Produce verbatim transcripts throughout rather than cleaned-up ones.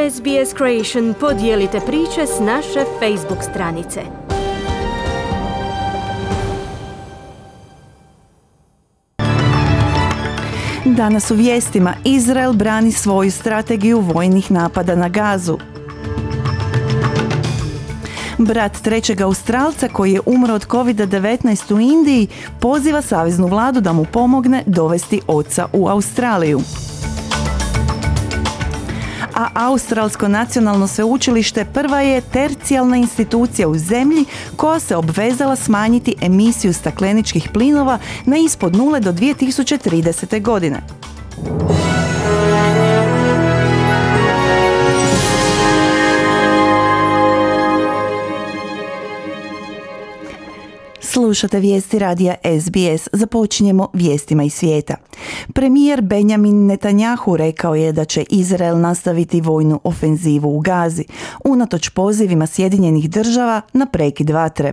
S B S Creation podijelite priče s naše Facebook stranice. Danas u vijestima: Izrael brani svoju strategiju vojnih napada na Gazu. Brat trećeg Australca koji je umro od kovid devetnaest u Indiji poziva saveznu vladu da mu pomogne dovesti oca u Australiju. A Australsko nacionalno sveučilište prva je tercijalna institucija u zemlji koja se obvezala smanjiti emisiju stakleničkih plinova na ispod nule do dvije tisuće tridesete. godine. Slušate vijesti radija S B S. Započinjemo vijestima iz svijeta. Premijer Benjamin Netanjahu rekao je da će Izrael nastaviti vojnu ofenzivu u Gazi, unatoč pozivima Sjedinjenih država na prekid vatre.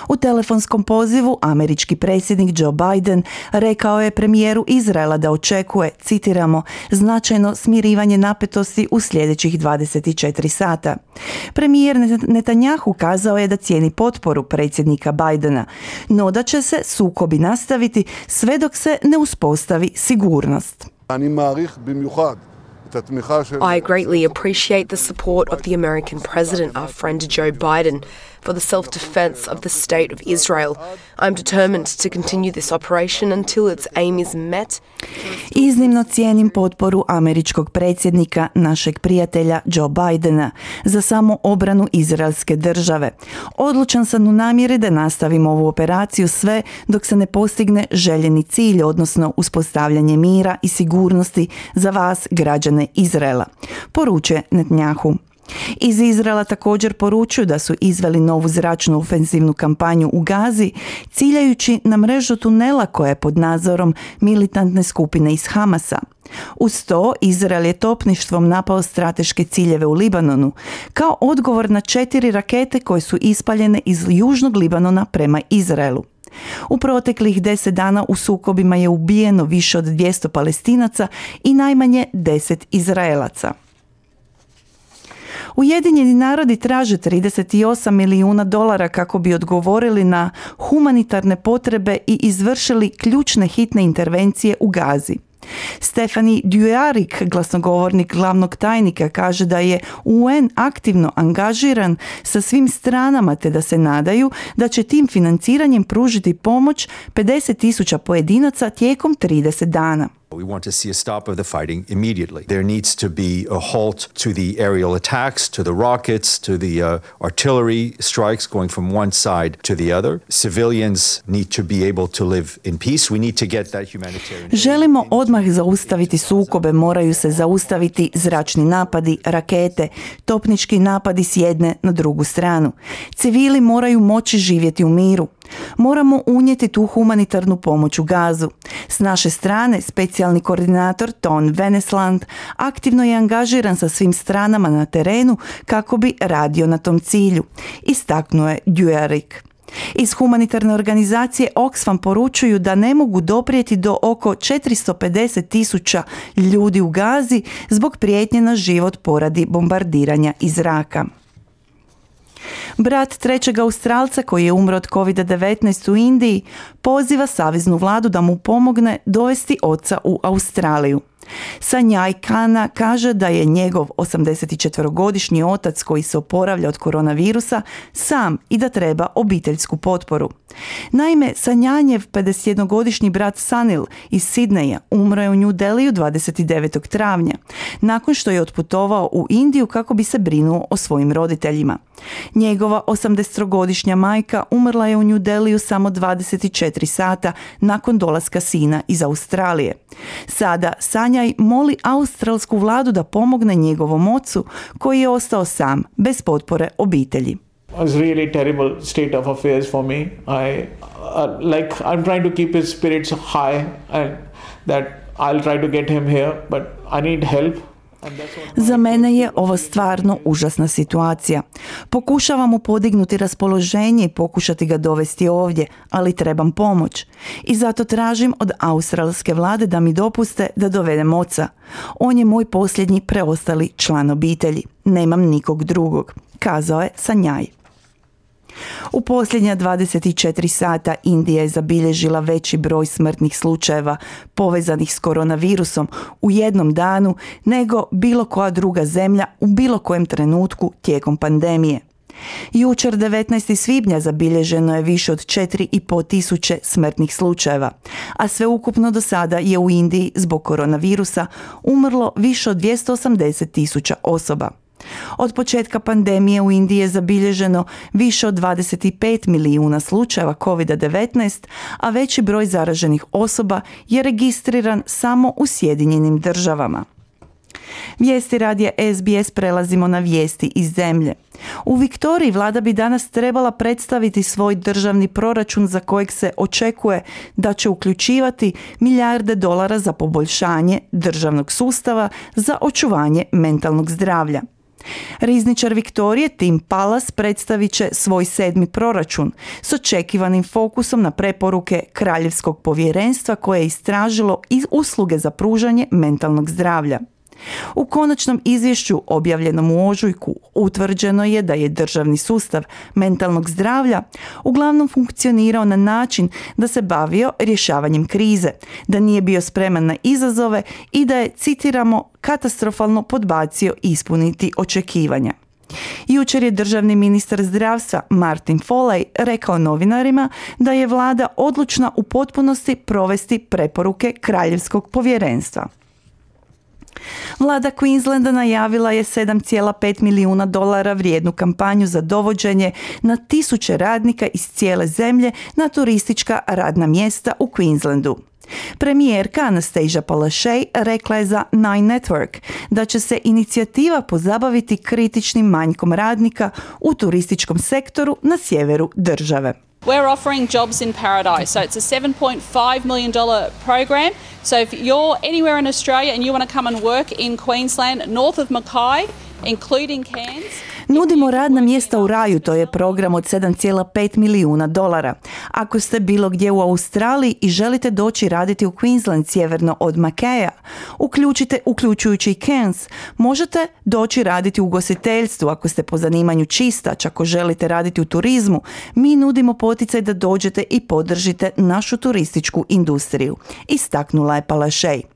U telefonskom pozivu američki predsjednik Joe Biden rekao je premijeru Izraela da očekuje, citiramo, značajno smirivanje napetosti u sljedećih dvadeset četiri sata. Premijer Netanjahu kazao je da cijeni potporu predsjednika Bidena, no da će se sukobi nastaviti sve dok se ne uspostavi sigurnost. I greatly appreciate the support of the American president, our friend Joe Biden, for the self-defense of the state of Israel. I'm determined to continue this operation until its aim is met. Iznimno cijenim potporu američkog predsjednika, našeg prijatelja Joe Bidena, za samo obranu izraelske države. Odlučan sam u namjeri da nastavim ovu operaciju sve dok se ne postigne željeni cilj, odnosno uspostavljanje mira i sigurnosti za vas, građane Izraela, poručuje Netanjahu. Iz Izraela također poručuju da su izveli novu zračnu ofenzivnu kampanju u Gazi, ciljajući na mrežu tunela koja je pod nadzorom militantne skupine iz Hamasa. Uz to, Izrael je topništvom napao strateške ciljeve u Libanonu, kao odgovor na četiri rakete koje su ispaljene iz južnog Libanona prema Izraelu. U proteklih deset dana u sukobima je ubijeno više od dvjesto Palestinaca i najmanje deset Izraelaca. Ujedinjeni narodi traže trideset osam milijuna dolara kako bi odgovorili na humanitarne potrebe i izvršili ključne hitne intervencije u Gazi. Stefani Dujarric, glasnogovornik glavnog tajnika, kaže da je U N aktivno angažiran sa svim stranama te da se nadaju da će tim financiranjem pružiti pomoć pedeset tisuća pojedinaca tijekom trideset dana. We want to see a stop of the fighting immediately. There needs to be a halt to the aerial attacks, to the rockets, to the uh, artillery strikes going from one side to the other. Civilians need to be able to live in peace. We need to get that humanitarian. Želimo odmah zaustaviti sukobe, moraju se zaustaviti zračni napadi, rakete, topnički napadi s jedne na drugu stranu. Civili moraju moći živjeti u miru. Moramo unijeti tu humanitarnu pomoć u Gazu. S naše strane, specijalni koordinator Ton Venesland aktivno je angažiran sa svim stranama na terenu kako bi radio na tom cilju, istaknuo je Dujarric. Iz humanitarne organizacije Oxfam poručuju da ne mogu doprijeti do oko četiristo pedeset tisuća ljudi u Gazi zbog prijetnje na život poradi bombardiranja iz zraka. Brat trećeg Australca koji je umro od kovid devetnaest u Indiji poziva saveznu vladu da mu pomogne dovesti oca u Australiju. Sanjaj Kana kaže da je njegov osamdesetčetverogodišnji otac koji se oporavlja od koronavirusa sam i da treba obiteljsku potporu. Naime, Sanjanjev pedesetjednogodišnji brat Sanil iz Sidneja umro je u New Delhiju dvadeset devetog travnja, nakon što je otputovao u Indiju kako bi se brinuo o svojim roditeljima. Njegova osamdesetogodišnja majka umrla je u New Delhiju samo dvadeset četiri sata nakon dolaska sina iz Australije. Sada Sanjaj moli australsku vladu da pomogne njegovom ocu koji je ostao sam, bez potpore obitelji. It was really terrible state of affairs for me. I uh, like I'm trying to keep his spirits high and that I'll try to get him here, but I need help. Za mene je ovo stvarno užasna situacija. Pokušavamo podignuti raspoloženje i pokušati ga dovesti ovdje, ali trebam pomoć. I zato tražim od australske vlade da mi dopuste da dovedem oca. On je moj posljednji preostali član obitelji. Nemam nikog drugog, kazao je Sanjaj. U posljednja dvadeset četiri sata Indija je zabilježila veći broj smrtnih slučajeva povezanih s koronavirusom u jednom danu nego bilo koja druga zemlja u bilo kojem trenutku tijekom pandemije. Jučer devetnaestog svibnja zabilježeno je više od četiri i pol tisuće smrtnih slučajeva, a sveukupno do sada je u Indiji zbog koronavirusa umrlo više od dvjesto osamdeset tisuća osoba. Od početka pandemije u Indiji je zabilježeno više od dvadeset pet milijuna slučajeva kovid devetnaest, a veći broj zaraženih osoba je registriran samo u Sjedinjenim državama. Vijesti radija S B S prelazimo na vijesti iz zemlje. U Viktoriji vlada bi danas trebala predstaviti svoj državni proračun za kojeg se očekuje da će uključivati milijarde dolara za poboljšanje državnog sustava za očuvanje mentalnog zdravlja. Rizničar Viktorije Tim Pallas predstavit će svoj sedmi proračun s očekivanim fokusom na preporuke Kraljevskog povjerenstva koje je istražilo iz usluge za pružanje mentalnog zdravlja. U konačnom izvješću objavljenom u ožujku utvrđeno je da je državni sustav mentalnog zdravlja uglavnom funkcionirao na način da se bavio rješavanjem krize, da nije bio spreman na izazove i da je, citiramo, katastrofalno podbacio ispuniti očekivanja. Jučer je državni ministar zdravstva Martin Foley rekao novinarima da je vlada odlučna u potpunosti provesti preporuke Kraljevskog povjerenstva. Vlada Queenslanda najavila je sedam zarez pet milijuna dolara vrijednu kampanju za dovođenje na tisuće radnika iz cijele zemlje na turistička radna mjesta u Queenslandu. Premijerka Anastasia Palaszczuk rekla je za Nine Network da će se inicijativa pozabaviti kritičnim manjkom radnika u turističkom sektoru na sjeveru države. We're offering jobs in paradise. So it's a seven point five million dollars program. So if you're anywhere in Australia and you want to come and work in Queensland, north of Mackay, including Cairns, Nudimo radna mjesta u raju, to je program od sedam zarez pet milijuna dolara. Ako ste bilo gdje u Australiji i želite doći raditi u Queensland sjeverno od Mackaya, uključite, uključujući i Cairns, možete doći raditi u ugostiteljstvu ako ste po zanimanju čistač, ako želite raditi u turizmu. Mi nudimo poticaj da dođete i podržite našu turističku industriju, istaknula je Palaszczuk.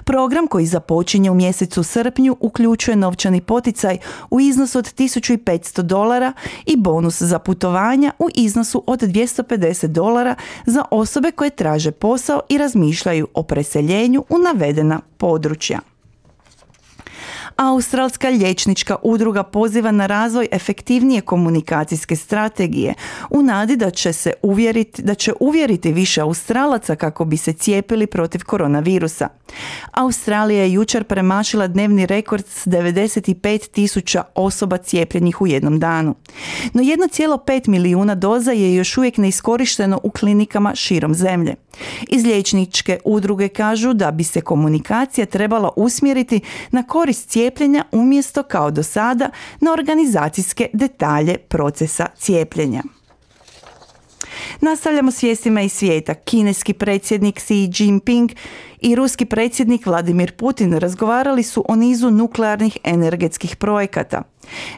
Program koji započinje u mjesecu srpnju uključuje novčani poticaj u iznosu od tisuću petsto dolara i bonus za putovanja u iznosu od dvjesto pedeset dolara za osobe koje traže posao i razmišljaju o preseljenju u navedena područja. Australska liječnička udruga poziva na razvoj efektivnije komunikacijske strategije u nadi da će se uvjeriti, da će uvjeriti više Australaca kako bi se cijepili protiv koronavirusa. Australija je jučer premašila dnevni rekord s devedeset pet tisuća osoba cijepljenih u jednom danu. No jedan zarez pet milijuna doza je još uvijek neiskorišteno u klinikama širom zemlje. Iz liječničke udruge kažu da bi se komunikacija trebala usmjeriti na korist cijepljenja umjesto kao do sada na organizacijske detalje procesa cijepljenja. Nastavljamo s vijestima iz svijeta. Kineski predsjednik Xi Jinping i ruski predsjednik Vladimir Putin razgovarali su o nizu nuklearnih energetskih projekata.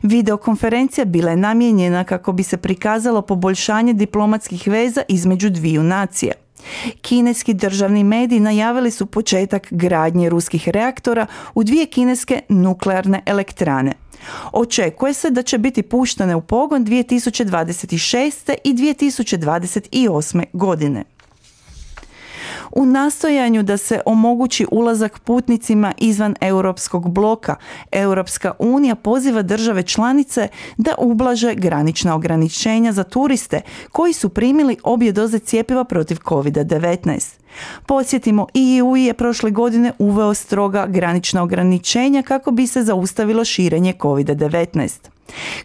Videokonferencija bila je namijenjena kako bi se prikazalo poboljšanje diplomatskih veza između dviju nacija. Kineski državni mediji najavili su početak gradnje ruskih reaktora u dvije kineske nuklearne elektrane. Očekuje se da će biti puštene u pogon dvije tisuće dvadeset šeste. i dvije tisuće dvadeset osme. godine. U nastojanju da se omogući ulazak putnicima izvan europskog bloka, Europska unija poziva države članice da ublaže granična ograničenja za turiste koji su primili obje doze cjepiva protiv kovid devetnaest. Podsjetimo, E U je prošle godine uveo stroga granična ograničenja kako bi se zaustavilo širenje kovid devetnaest.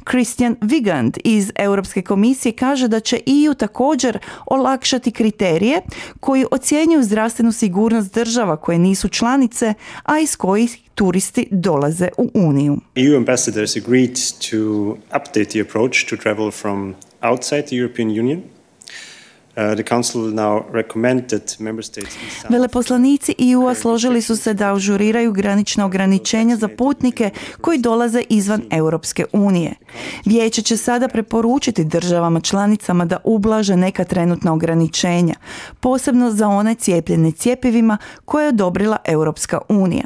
Christian Wiegand iz Europske komisije kaže da će E U također olakšati kriterije koji ocjenjuju zdravstvenu sigurnost država koje nisu članice, a iz kojih turisti dolaze u Uniju. E U ambassadors agreed to update the approach to travel from outside the European Union. Uh, the Council will now recommend that member states... Veleposlanici E U-a složili su se da ažuriraju granična ograničenja za putnike koji dolaze izvan Europske unije. Vijeće će sada preporučiti državama članicama da ublaže neka trenutna ograničenja, posebno za one cijepljene cjepivima koje je odobrila Europska unija.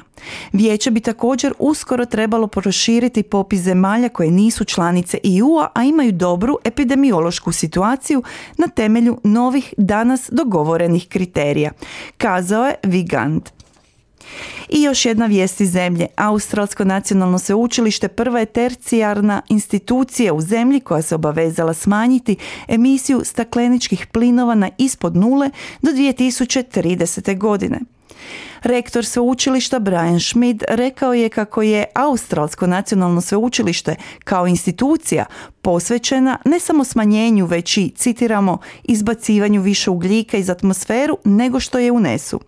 Vijeće bi također uskoro trebalo proširiti popis zemalja koje nisu članice E U-a, a imaju dobru epidemiološku situaciju na temelju novih danas dogovorenih kriterija, kazao je Wiegand. I još jedna vijest iz zemlje. Australsko nacionalno sveučilište prva je tercijarna institucija u zemlji koja se obavezala smanjiti emisiju stakleničkih plinova na ispod nule do dvije tisuće tridesete. godine. Rektor sveučilišta Brian Schmidt rekao je kako je Australsko nacionalno sveučilište kao institucija posvećena ne samo smanjenju, već i, citiramo, izbacivanju više ugljika iz atmosferu nego što je unesu.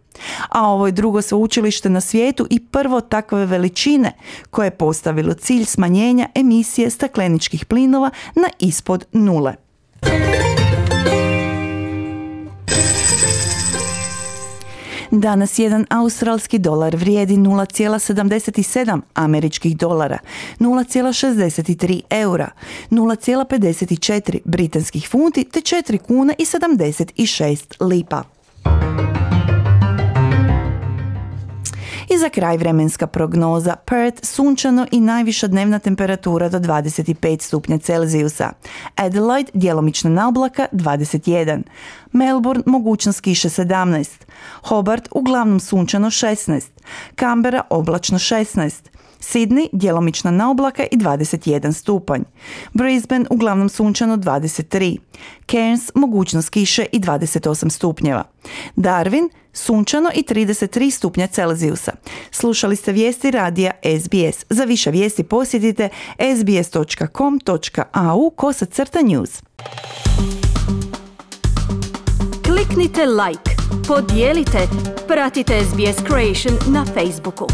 A ovo je drugo sveučilište na svijetu i prvo takve veličine koje je postavilo cilj smanjenja emisije stakleničkih plinova na ispod nule. Danas jedan australski dolar vrijedi nula zarez sedamdeset sedam američkih dolara, nula zarez šezdeset tri eura, nula zarez pedeset četiri britanskih funti te četiri kune i sedamdeset šest lipa. I za kraj vremenska prognoza. Perth sunčano i najviša dnevna temperatura do dvadeset pet stupnja Celzijusa. Adelaide djelomična na oblaka dvadeset jedan. Melbourne mogućnost kiše sedamnaest. Hobart uglavnom sunčano šesnaest. Canberra oblačno šesnaest. Sydney djelomična na oblaka i dvadeset jedan stupanj. Brisbane uglavnom sunčano dvadeset tri. Cairns mogućnost kiše i dvadeset osam stupnjeva. Darwin sunčano i trideset tri stupnja Celzijusa. Slušali ste vijesti radija S B S. Za više vijesti posjetite s b s dot com dot a u kosacrta news. Kliknite like, podijelite, pratite S B S Creation na Facebooku.